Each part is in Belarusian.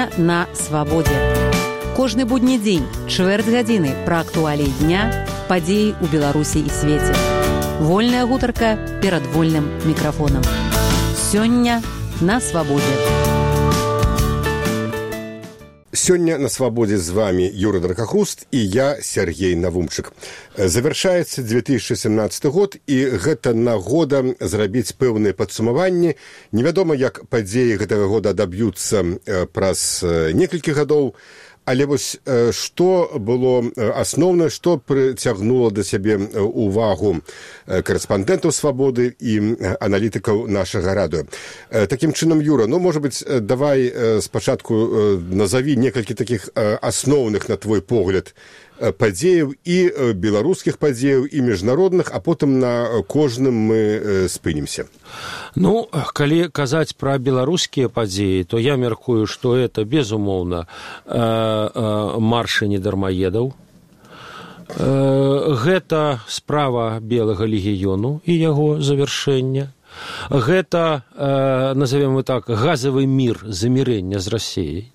Сёння на свабодзе. Кожны будні дзень, чвэрць гадзіны пра актуаліі дня, падзеі ў Беларусі і свеце. Вольная гутарка перад вольным мікрафонам. Сёння на свабодзе. Сёння на свабодзе з вами Юра Дракахуст і я, Сергей Навумчык. Завяршаецца 2017 год, і гэта нагода зрабіць пэўныя падсумаванні. Невядома, як падзеі гэтага года адаб'юцца праз некалькі гадоў, але вось што было асноўнае, што прыцягнула да сябе увагу корэспандэнтаў «Свабоды» і аналітыкаў нашага радыё. Такім чынам, Юра, можа быць, давай спачатку назаві некалькі такіх асноўных, на твой погляд, падзеяў і беларускіх падзеяў, і міжнародных, а потым на кожным мы спынімся. Калі казаць пра беларускія падзеі, то я мяркую, што это, безумоўна, маршы недармаедаў. Гэта справа Белага легіёну і яго завяршэння. Гэта, назовем мы так, газавы мір, замірэння з Расіяй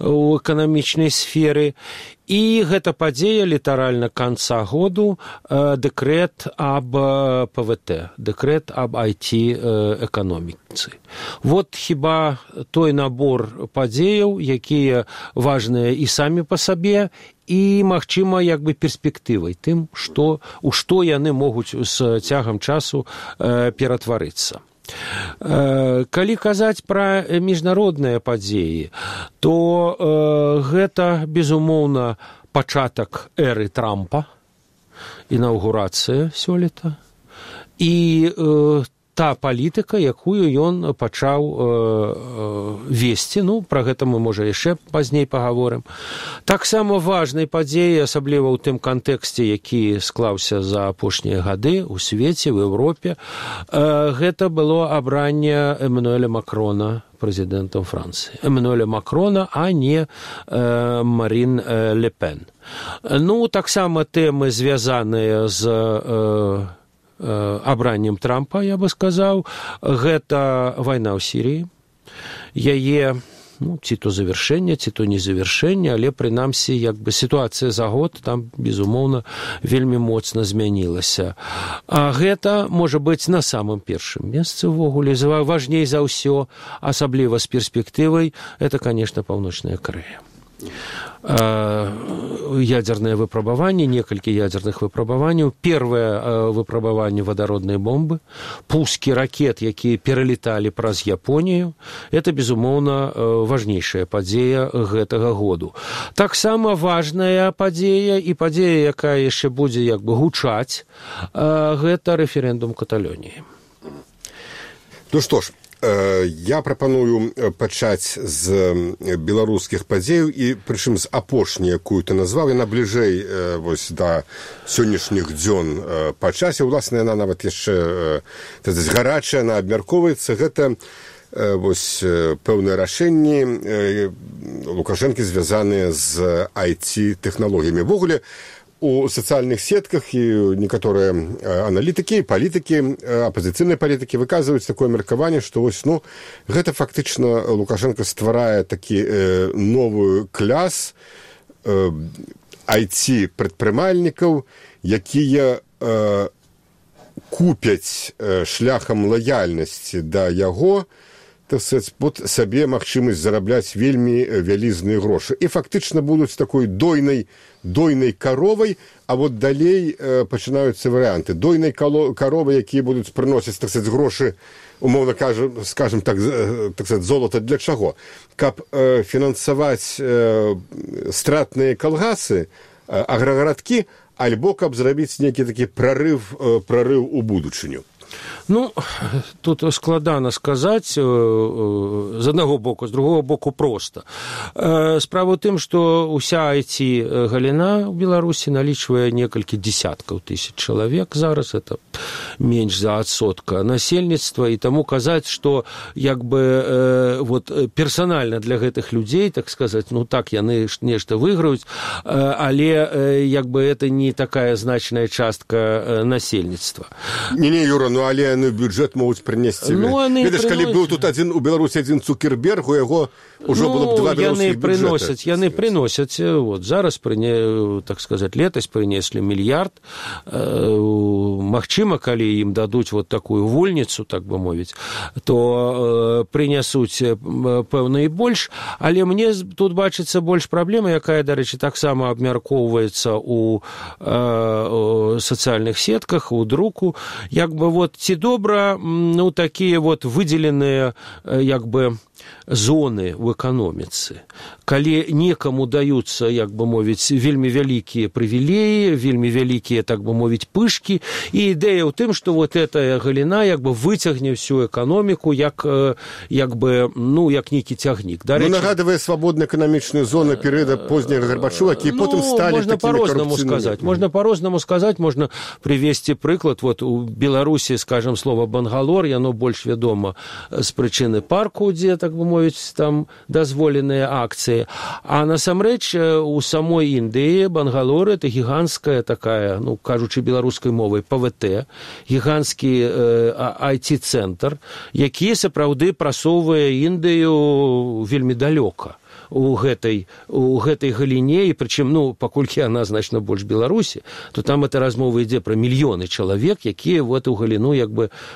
у эканамічнай сферы. І гэта падзея літаральна канца году, дэкрэт аб ПВТ, дэкрэт аб IT-эканоміцы. Вот хіба той набор падзеяў, якія важныя і самі па сабе, і, магчыма, перспектывай тым, у што яны могуць з цягам часу ператварыцца. Калі казаць пра міжнародныя падзеі, то гэта, безумоўна, пачатак эры Трампа, інаўгурацыя сёлета, і та палітыка, якую ён пачаў весці. Пра гэта мы, можа, яшчэ пазней пагаворым. Таксама важнай падзеяй, асабліва ў тым кантэксце, які склаўся за апошнія гады ў свеце, в Еўропе, гэта было абранне Эммануэля Макрона прэзідэнтам Францыі. Эммануэля Макрона, а не Марін Ле Пен. Таксама тэмы, звязаныя з абраннем Трампа, я бы сказаў, гэта вайна ў Сірыі. Яе, ці то завяршэнне, ці то не завяршэнне, але, прынамсі, сітуацыя за год там, безумоўна, вельмі моцна змянілася. А гэта, можа быць, на самым першым месцы ўвогуле, важней за ўсё, асабліва з перспектывай, это, конечно, Паўночная Карэя. Ядерное выпрабаванне, некалькі ядерных выпрабаванняў. Первое выпрабаванне вадароднай бомбы, пускі ракет, якія пералеталі праз Японію. Это, безумоўна, важнейшая падзея гэтага году. Таксама важная падзея і падзея, якая яшчэ будзе гучаць, гэта рэферэндум Каталоніі. Што ж, я прапаную пачаць з беларускіх падзеяў, і прычым з апошняй, якую ты назваў, яна бліжэй да сённяшніх дзён па часе. Уласна, яна нават яшчэ гарачая, яна абмяркоўваецца. Гэта пэўныя рашэнні Лукашэнкі, звязаныя з IT-тэхналогіямі. Ввогуле, у сацыяльных сетках і некаторыя аналітыкі, палітыкі, апазіцыйныя палітыкі выказваюць такое меркаванне, што гэта фактычна Лукашенко стварае такі новую кляс IT-прадпрымальнікаў, якія купяць шляхам лаяльнасці да яго, сабе магчымасць зарабляць вельмі вялізныя грошы. І фактычна будуць такой дойнай каровай, а далей пачынаюцца варыянты. Дойнай каровы, якія будуць прыносіць, грошы, умоўна скажем так, золата для чаго? Каб фінансаваць стратныя калгасы, аграгарадкі, альбо каб зрабіць нейкі такі прарыв у будучыню. Тут складана сказаць з аднаго боку, з другого боку проста. Справа ў тым, што ўся IT-галіна ў Беларусі налічвае некалькі дзесяткаў тысяч чалавек зараз, это менш за адсотка насельніцтва, і таму казаць, што персанальна для гэтых людзей, так сказаць, яны нешта выйграюць, але это не такая значная частка насельніцтва. Не, Юра, Ну, але бюджэт могуць прынесці. Ведаеш, калі быў тут у Беларусі адзін Цукерберг, у яго ўжо было б два беларускіх бюджэта. Яны прыносяць, зараз, так сказаць, летась прынеслі мільярд. Магчыма, калі ім дадуць такую вольніцу, так бы мовіць, то прынясуць пэўна і больш, але мне тут бачыцца больш праблема, якая, дарэчы, таксама абмяркоўваецца у сацыяльных сетках, у друку, ці добра, такія выдзеленыя, зоны ў эканоміцы, калі некаму даюцца, вельмі вялікія прывілеі, вельмі вялікія, так бы мовіць, пышкі, і ідэя ў тым, што гэтая галіна выцягне всю эканоміку як нейкі цягнік. Нагадывае свабодна эканамічную зону перыяда позняга Гарбачова, які потым сталі такімі карупцыйнымі. Можна па-рознаму сказаць, можна прывесці прыклад. У Беларусі, скажем, слова Бангалор, яно больш вядома з прычыны парку, дзе, так бы мовіць, там дазволеныя акцыі. А насамрэч у самой Індыі Бангалор — это гіганцкая такая, кажучы беларускай мовай, ПВТ, гіганцкі IT-цэнтр, які сапраўды прасоўвае Індыю вельмі далёка у гэтай галіне, і прычым, паколькі яна значна больш Беларусі, то там эта размова ідзе пра мільёны чалавек, якія в эту галіну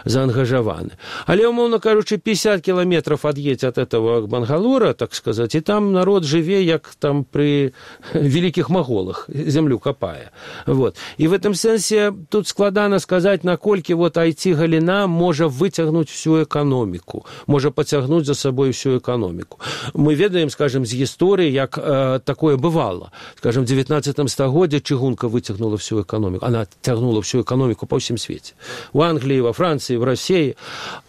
заангажаваны. Але, умоўна кажучы, 50 кіламетраў ад'едзь ад этого Бангалора, так сказаць, і там народ жыве, як там пры вялікіх маголах, зямлю капае. І в этом сэнсе тут складана сказаць, наколькі IT-галіна можа выцягнуць всю эканоміку, можа пацягнуць за сабой всю эканоміку. Мы ведаем, скажем, з гісторыі, як такое бывало. Скажем, в 19 стагоддзі чыгунка выцягнула всю эканоміку. Она цягнула всю эканоміку па ўсім свеце. У Англіі, во Францыі, в России.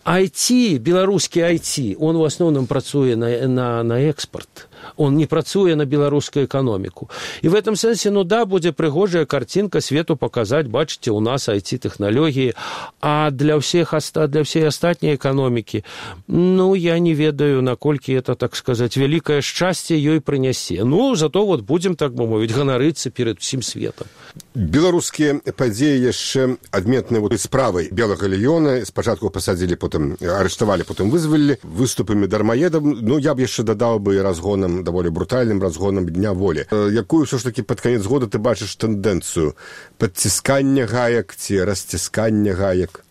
IT, беларускі IT, он в основном працуе на экспорт. Он не працуе на беларускую эканоміку. І в этом сэнсе, будзе прыгожая картинка свету паказаць, бачыце, у нас IT-тэхналогіі, а для всей астатняй эканомікі, я не ведаю, наколькі это, так сказаць, вялікае шчасце ёй прынясе. Зато будзем, так бы мовіць, ганарыцца перад усім светом. Беларускія падзеі яшчэ адметныя справай Белага легіёна. Спачатку пасадзілі, потым арыштавалі, потым вызвалілі выступамі дармаедам. Я б яшчэ дадаў бы разгонам, даволі брутальным разгонам Дня волі. Якую ўсё ж такі пад канец года ты бачыш тэндэнцыю? Падціскання гаек ці расціскання гаек?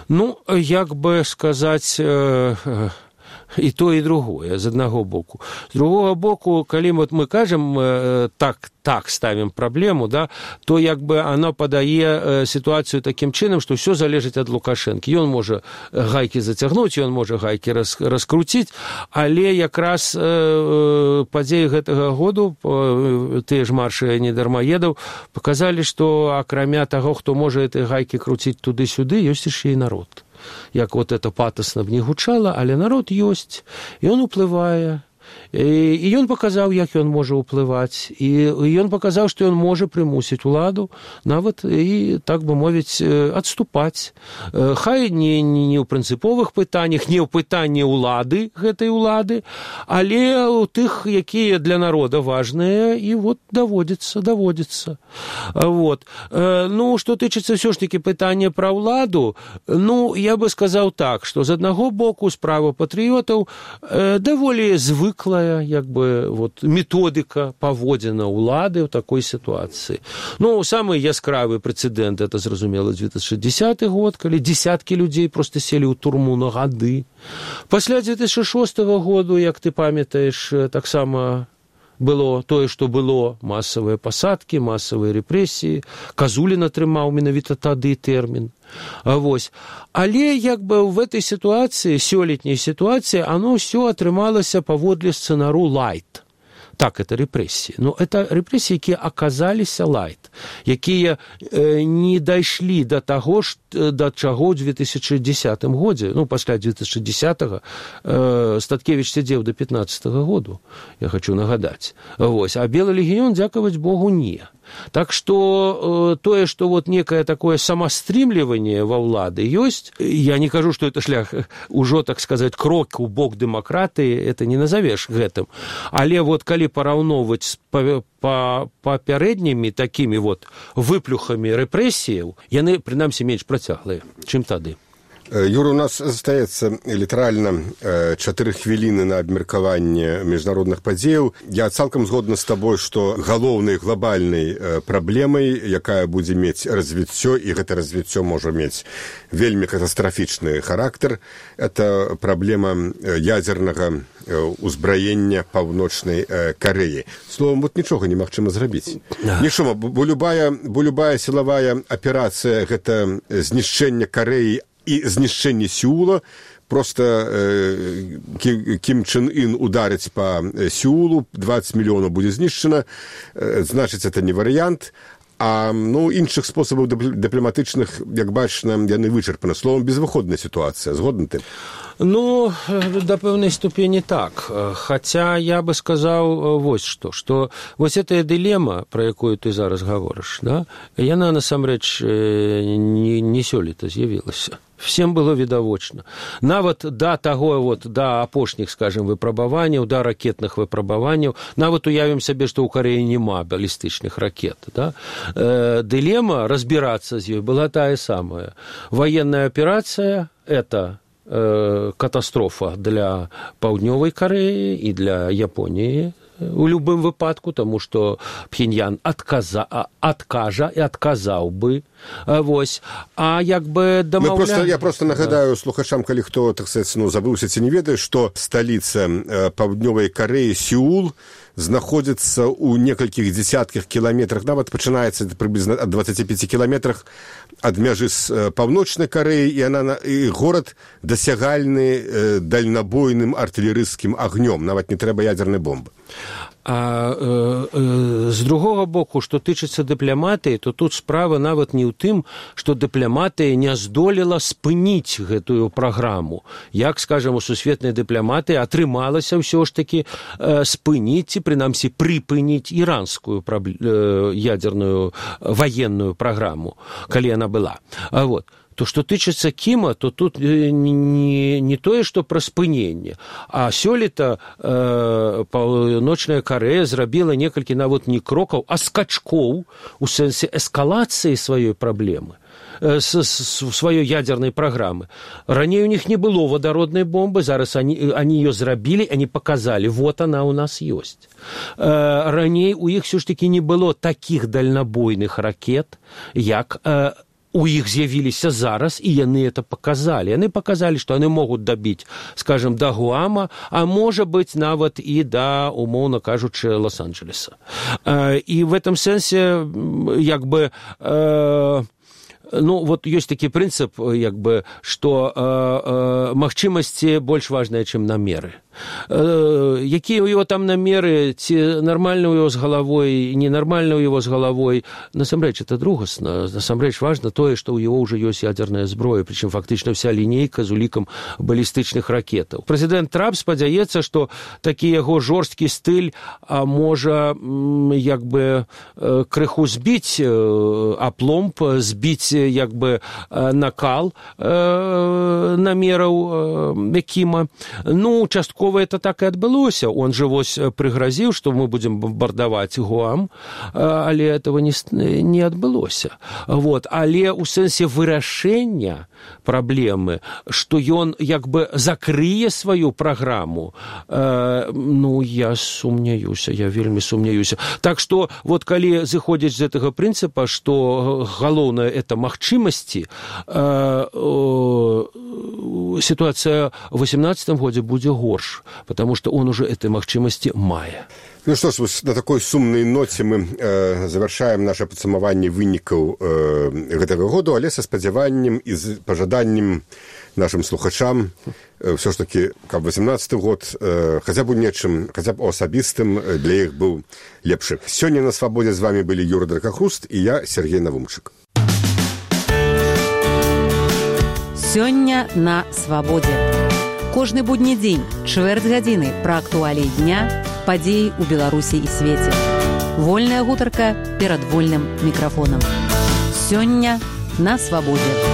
Як бы сказаць, і то, і другое, з аднаго боку. З другого боку, калі мы кажам, так ставім праблему, то оно падае сітуацыю такім чынам, што ўсё залежыць ад Лукашэнкі. Ён можа гайкі зацягнуць, ён можа гайкі раскруціць, але якраз падзеі гэтага году, тыя ж маршы недармаедаў, паказалі, што акрамя таго, хто можа этой гайкі круціць туды-сюды, ёсць яшчэ і народ. Як это патасна б не гучала, але народ ёсць, і ён уплывае. І ён паказаў, як ён можа ўплываць, і ён паказаў, што ён можа прымусіць уладу нават і, так бы мовіць, адступаць. Хай не ў прынцыповых пытаннях, не ў пытанні ўлады, гэтай улады, але ў тых, якія для народа важныя, і даводзіцца. Што тычыцца ўсё ж такі пытання пра ўладу, я бы сказаў так, што з аднаго боку справа патрыётаў даволі звыклая, методыка паводзіна ўлады ў такой сітуацыі. Самы яскравы прэцэдэнт, это, зразумела, 2010 год, калі дзесяткі людзей проста селі ў турму на гады. Пасля 2006 году, як ты памятаеш, таксама было тое, што было, масавыя пасадкі, масавыя рэпрэсіі. Казулін атрымаў менавіта тады тэрмін. Але в этой ситуации, сёлетняй ситуации, оно все атрымалася паводле сцэнару лайт. Так, это рэпрэсіі. Это рэпрэсіі, якія аказаліся лайт, якія не дайшлі да таго, да чаго ў 2010 годзе. Пасля 2010-го Статкевіч сядзеў да 15-го году, я хочу нагадаць. А Белы легіён, дзякаваць Богу, не. Так што тое, што некае такое самастрымліванне ва ўлады ёсць, я не кажу, што это шлях ужо, так сказаць, крок у бок дэмакратыі, это не назавеш гэтым. Але калі параўноўваць з папярэднімі такімі выплюхамі рэпрэсіяў, яны, прынамсі, менш працяглыя, чым тады. Юра, у нас застаецца літаральна 4 хвіліны на абмеркаванне міжнародных падзеяў. Я цалкам згодна з табой, што галоўнай глобальнай праблемай, якая будзе мець развіццё, і гэта развіццё можа мець вельмі катастрафічны характар, это праблема ядзернага узбраення Паўночнай Карэі. Словом, вот нічога немагчыма зрабіць. Нічога, бо любая сілавая аперацыя — гэта знішчэнне Карэі і знішчэнне Сеула. Просто Кім Чен Ын ударыць па Сеулу, 20 мільёнаў будзе знішчана, значыць, это не варыянт. А іншых спосабаў дыпламатычных, як бачна, яны вычарпаны. Словом, безвыходная сітуацыя. Згодны ты? До пэўнай ступені так. Хаця я бы сказаў вось што вось гэтая дылема, пра якую ты зараз гаворыш, да, яна насамрэч не сёлета з'явілася. Всем было відавочна. Нават да апошніх, скажем, выпрабаванняў, да ракетных выпрабаванняў, нават уявім сабе, што ў Карэі няма балістычных ракет. Да? Дылема разбірацца з ёй была тая самая. Военная аперацыя – это катастрофа для Паўднёвай Карэі і для Японіі у любым выпадку, таму што Пхеньян адкажа і адказаў бы. Вось. А як бы Я просто нагадаю слухачам, калі хто, так сказать, забыўся ці не ведае, што сталіца Паўднёвай Карэі Сеул знаходзіцца ў некалькіх дзесятках кіламетрах, нават пачынаецца прыблізна ад 25 кіламетрах ад мяжы з Паўночнай Карэі, і горад дасягальны дальнабойным артылерыйскім агнём, нават не трэба ядзернай бомбы. А з другога боку, што тычыцца дыпламатыі, то тут справа нават не ў тым, што дыпламатыя не здолела спыніць гэтую праграму. Як, скажам, у сусветнай дыпламатыі атрымалася ўсё ж такі спыніць, ці прынамсі прыпыніць іранскую ядзерную ваенную праграму, калі яна была. Вот. То, што тычыцца Кіма, то тут не тое, што пра спыненне, а сёлета Паўночная Карэя зрабіла некалькі нават не крокаў, а скачкоў у сэнсе эскалацыі сваёй праблемы, сваёй ядзернай праграмы. Раней у них не было вадароднай бомбы, зараз они ее зрабілі, они показали, вот она у нас ёсць. Раней у іх все ж таки не было такіх дальнабойных ракет, як у іх з'явіліся зараз, і яны это показалі. Яны показалі, што яны могуць дабіць, скажем, да Гуама, а можа быць нават і да, умоўна кажучы, Лос-Анджелеса. І в этом сэнсе, як бы, вот ёсць такі прынцып, як бы, што магчымасці больш важныя, чым намеры. Якія ў яго там намеры, ці нармальна ў яго з галавой, ненармальна ў яго з галавой, насамрэч, это другасна. Насамрэч важна тое, што ў яго ўжо ёсць ядзерная зброя, прычым фактычна вся лінейка з улікам балістычных ракетаў. Прэзідэнт Трамп спадзяецца, што такі яго жорсткі стыль можа як бы крыху збіць апломб, збіць як бы накал намераў Кіма. Часткова это так и адбылося. Он же вось прыгразіў, што мы будем бомбардаваць Гуам, але этого не адбылося. Вот. Але ў сэнсе вырашэння праблемы, што ён як бы закрые сваю праграму, я сумняюся, я вельмі сумняюся. Так што, вот калі зыходзіць з гэтага прынцыпа, што галоўнае это магчымасці, ситуация в 2018 годзе будзе горш, потому что он уже этой магчымасці мае. Ну што ж, на такой сумнай ноце мы завяршаем наше падсумаванне вынікаў гэтага году, але са спадзяваннем і з пажаданнем нашим слухачам все ж таки, каб 18 год хаця б у нечым, хаця б асабістым для іх быў лепшы. Сёння на свабодзе з вами былі Юра Дракахруст і я, Сергей Навумчык. Сёння на свабодзе. Кожны будні дзень, чвэрць гадзіны пра актуаліі дня, падзеі ў Беларусі і свеце. Вольная гутарка перад вольным мікрафонам. Сёння на свабодзе.